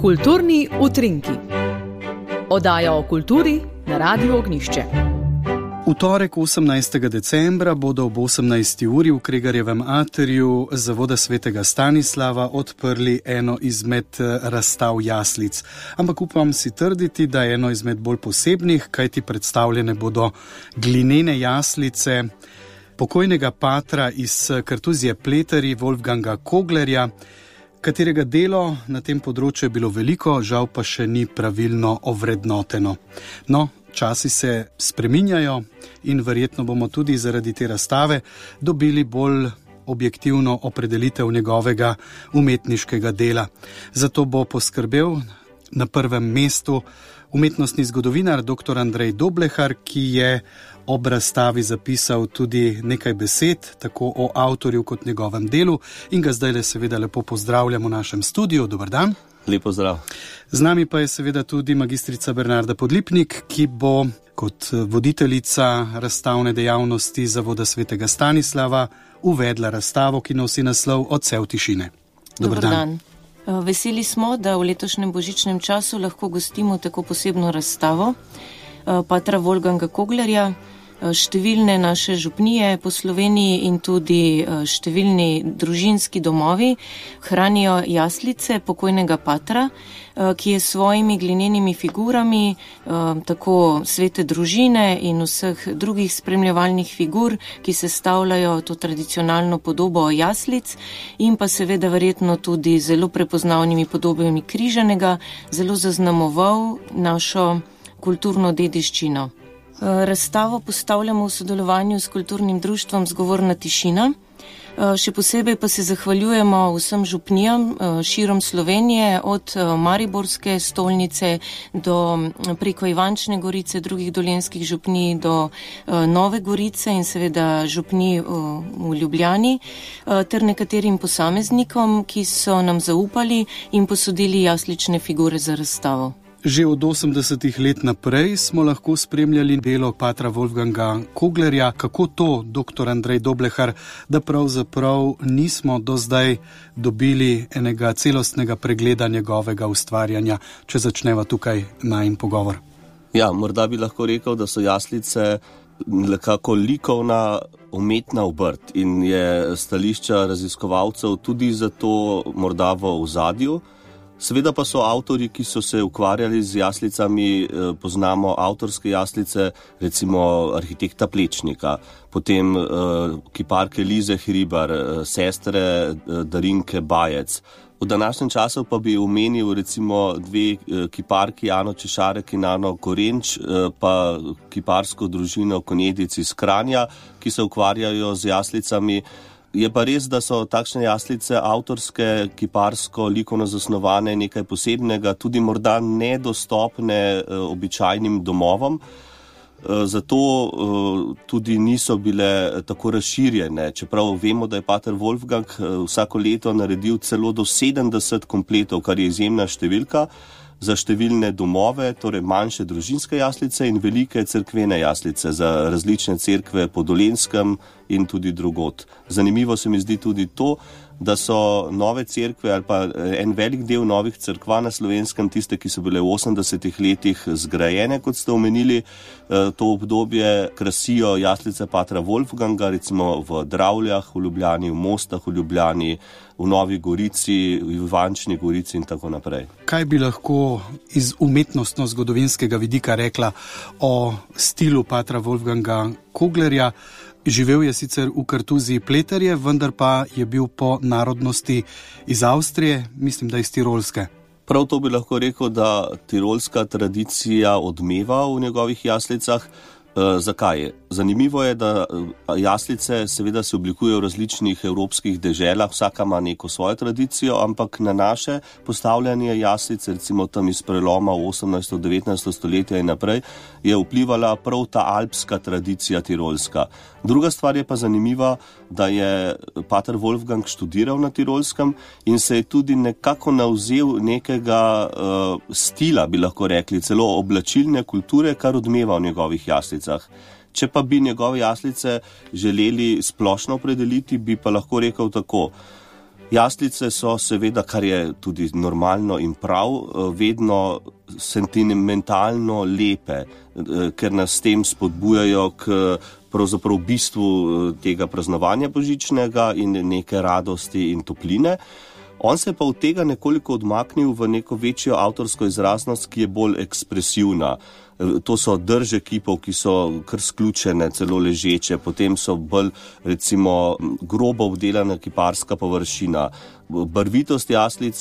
Kulturni utrinki. Oddaja o kulturi na Radiu Ognjišče. V torek 18. decembra bodo ob 18. uri v Kregarjevem atriju Zavoda svetega Stanislava odprli eno izmed razstav jaslic. Ampak upam si trditi, da je eno izmed bolj posebnih, kajti predstavljene bodo glinene jaslice pokojnega patra iz kartuzije Pleterji Wolfganga Koglerja, katerega delo na tem področju je bilo veliko, žal pa še ni pravilno ovrednoteno. No, časi se spreminjajo in verjetno bomo tudi zaradi te razstave dobili bolj objektivno opredelitev njegovega umetniškega dela. Zato bo poskrbel na prvem mestu umetnostni zgodovinar dr. Andrej Doblehar, ki je ob razstavi zapisal tudi nekaj besed, tako o avtorju kot njegovem delu, in ga zdaj seveda lepo pozdravljamo v našem studiu. Dober dan. Lep pozdrav. Z nami pa je seveda tudi magistrica Bernarda Podlipnik, ki bo kot voditeljica razstavne dejavnosti Zavoda svetega Stanislava uvedla razstavo, ki nosi naslov Odsev tišine. Dober dan. Veseli smo, da v letošnjem božičnem času lahko gostimo tako posebno razstavo patra Wolfganga Koglerja. Številne naše župnije po Sloveniji in tudi številni družinski domovi hranijo jaslice pokojnega patra, ki je s svojimi glinenimi figurami, tako svete družine in vseh drugih spremljevalnih figur, ki sestavljajo to tradicionalno podobo jaslic, in pa seveda verjetno tudi zelo prepoznavnimi podobami križanega, zelo zaznamoval našo kulturno dediščino. Razstavo postavljamo v sodelovanju s kulturnim društvom Zgovorna tišina. Še posebej pa se zahvaljujemo vsem župnijam širom Slovenije, od Mariborske stolnice do preko Ivančne Gorice, drugih dolenjskih župnij do Nove Gorice in seveda župnij v Ljubljani, ter nekaterim posameznikom, ki so nam zaupali in posodili jaslične figure za razstavo. Že od 80. let naprej smo lahko spremljali delo patra Wolfganga Koglerja. Kako to, dr. Andrej Doblehar, da pravzaprav nismo do zdaj dobili enega celostnega pregleda njegovega ustvarjanja, če začneva tukaj najin pogovor? Ja, morda bi lahko rekel, da so jaslice nekako likovna umetna obrt in je stališča raziskovalcev tudi zato morda v ozadju. Seveda pa so avtorji, ki so se ukvarjali z jaslicami, poznamo avtorske jaslice, recimo arhitekta Plečnika, potem kiparke Lize Hribar, sestre Darinke Bajec. V današnjem času pa bi omenil recimo dve kiparki, Ano Češarek in Ano Korenč, pa kiparsko družino Konjedic iz Kranja, ki se ukvarjajo z jaslicami. Je pa res, da so takšne jaslice avtorske, kiparsko, likovno zasnovane, nekaj posebnega, tudi morda nedostopne običajnim domovom, zato tudi niso bile tako razširjene. Čeprav vemo, da je pater Wolfgang vsako leto naredil celo do 70 kompletov, kar je izjemna številka, za številne domove, torej manjše družinske jaslice in velike cerkvene jaslice za različne cerkve po Dolenjskem in tudi drugod. Zanimivo se mi zdi tudi to, da so nove cerkve ali pa en velik del novih cerkva na Slovenskem, tiste, ki so bile v 80. letih zgrajene, kot ste omenili, to obdobje krasijo jaslice patra Wolfganga, recimo v Dravljah, v Ljubljani, v Mostah, v Ljubljani, v Novi Gorici, v Ivančni Gorici in tako naprej. Kaj bi lahko iz umetnostno-zgodovinskega vidika rekla o stilu patra Wolfganga Koglerja? Živel je sicer v kartuziji Pleterje, vendar pa je bil po narodnosti iz Avstrije, mislim, da iz Tirolske. Prav to bi lahko rekel, da tirolska tradicija odmeva v njegovih jaslicah. Zakaj? Zanimivo je, da jaslice seveda se oblikujejo v različnih evropskih deželah, vsaka ima neko svojo tradicijo, ampak na naše postavljanje jaslic, recimo tam iz preloma 18. 19. stoletja in naprej, je vplivala prav ta alpska tradicija tirolska. Druga stvar je pa zanimiva, da je pater Wolfgang študiral na Tirolskem in se je tudi nekako navzel nekega stila, bi lahko rekli, celo oblačilne kulture, kar odmeva v njegovih jaslicah. Če pa bi njegove jaslice želeli splošno opredeliti, bi pa lahko rekel tako. Jaslice so seveda, kar je tudi normalno in prav, vedno sentimentalno lepe, ker nas s tem spodbujajo k pravzaprav bistvu tega praznovanja božičnega in neke radosti in topline. On se pa od tega nekoliko odmaknil v neko večjo avtorsko izraznost, ki je bolj ekspresivna. To so drže kipov, ki so kar sključene, celo ležeče, potem so bolj, recimo, grobo obdelana kiparska površina. Barvitost jaslic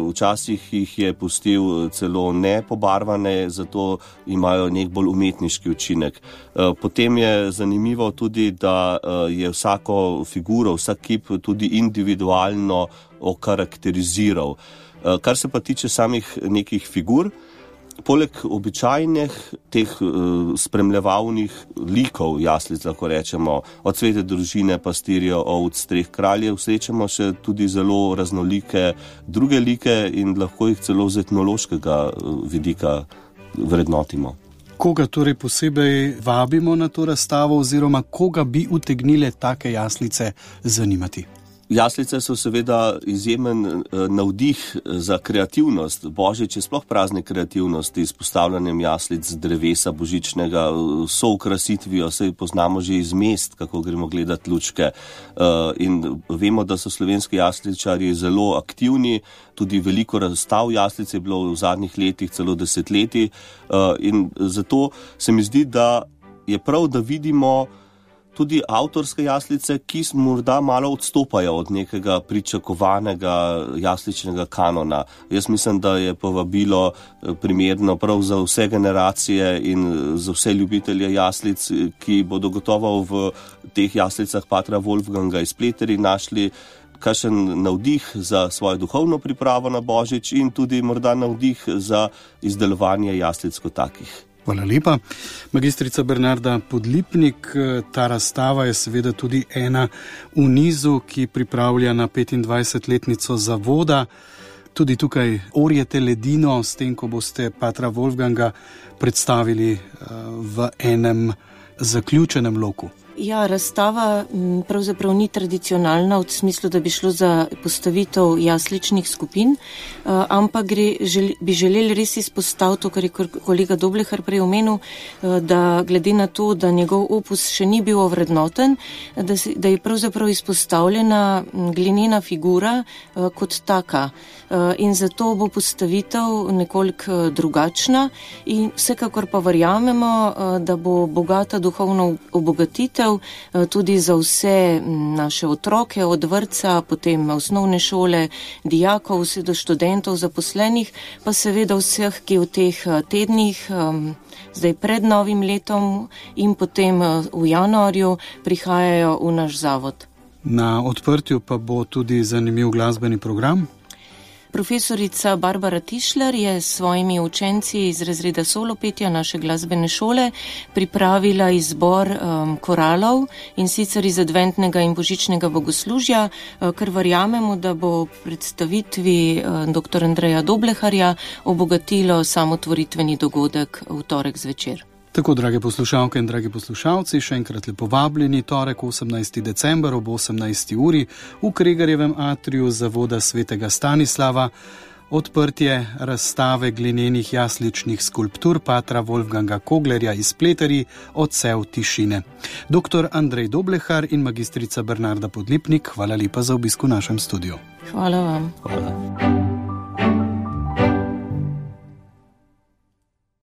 včasih jih je pustil celo nepobarvane, zato imajo nek bolj umetniški učinek. Potem je zanimivo tudi, da je vsako figuro, vsak kip tudi individualno okarakteriziral. Kar se pa tiče samih nekih figur, poleg običajnih teh spremljevalnih likov jaslic, lahko rečemo, od svete družine, pastirjev, ovc, treh kraljev, srečamo še tudi zelo raznolike druge like in lahko jih celo z etnološkega vidika vrednotimo. Koga torej posebej vabimo na to razstavo oziroma koga bi utegnile take jaslice zanimati? Jaslice so seveda izjemen navdih za kreativnost. Božič je sploh praznik kreativnosti s postavljanjem jaslic z drevesa božičnega, so okrasitvijo, saj poznamo že iz mest, kako gremo gledati lučke. In vemo, da so slovenski jasličarji zelo aktivni, tudi veliko razstav jaslic je bilo v zadnjih letih, celo desetletij. In zato se mi zdi, da je prav, da vidimo tudi avtorske jaslice, ki morda malo odstopajo od nekega pričakovanega jasličnega kanona. Jaz mislim, da je povabilo primerno prav za vse generacije in za vse ljubitelje jaslic, ki bodo gotovo v teh jaslicah patra Wolfganga iz Pleteri našli kakšen navdih za svojo duhovno pripravo na Božič in tudi morda navdih za izdelovanje jaslic kot takih. Hvala lepa. Magistrica Bernarda Podlipnik, ta razstava je seveda tudi ena v nizu, ki pripravlja na 25-letnico zavoda. Tudi tukaj orjete ledino s tem, ko boste patra Wolfganga predstavili v enem zaključenem loku. Ja, razstava pravzaprav ni tradicionalna v smislu, da bi šlo za postavitev jasličnih skupin, ampak bi želeli res izpostaviti to, kar je kolega Doblehar prej omenil, da glede na to, da njegov opus še ni bil ovrednoten, da je pravzaprav izpostavljena glinena figura kot taka. In zato bo postavitev nekoliko drugačna in vsekakor pa verjamemo, da bo bogata duhovna obogatitev tudi za vse naše otroke od vrtca, potem osnovne šole, dijakov, vse do študentov, zaposlenih, pa seveda vseh, ki v teh tednih, zdaj pred novim letom in potem v januarju prihajajo v naš zavod. Na odprtju pa bo tudi zanimiv glasbeni program. Profesorica Barbara Tišler je s svojimi učenci iz razreda solopetja naše glasbene šole pripravila izbor koralov in sicer iz adventnega in božičnega bogoslužja, kar verjamemo, da bo predstavitvi dr. Andreja Dobleharja obogatilo samotvoritveni dogodek v torek zvečer. Tako, drage poslušalke in dragi poslušalci, še enkrat lepo vabljeni torek 18. december ob 18. uri v Kregarjevem atriju zavoda svetega Stanislava. Odprtje razstave glinenih jasličnih skulptur patra Wolfganga Koglerja iz Pleteri Odsev tišine. Dr. Andrej Doblehar in magistrica Bernarda Podlipnik, hvala lepa za obisk v našem studiu. Hvala vam. Hvala.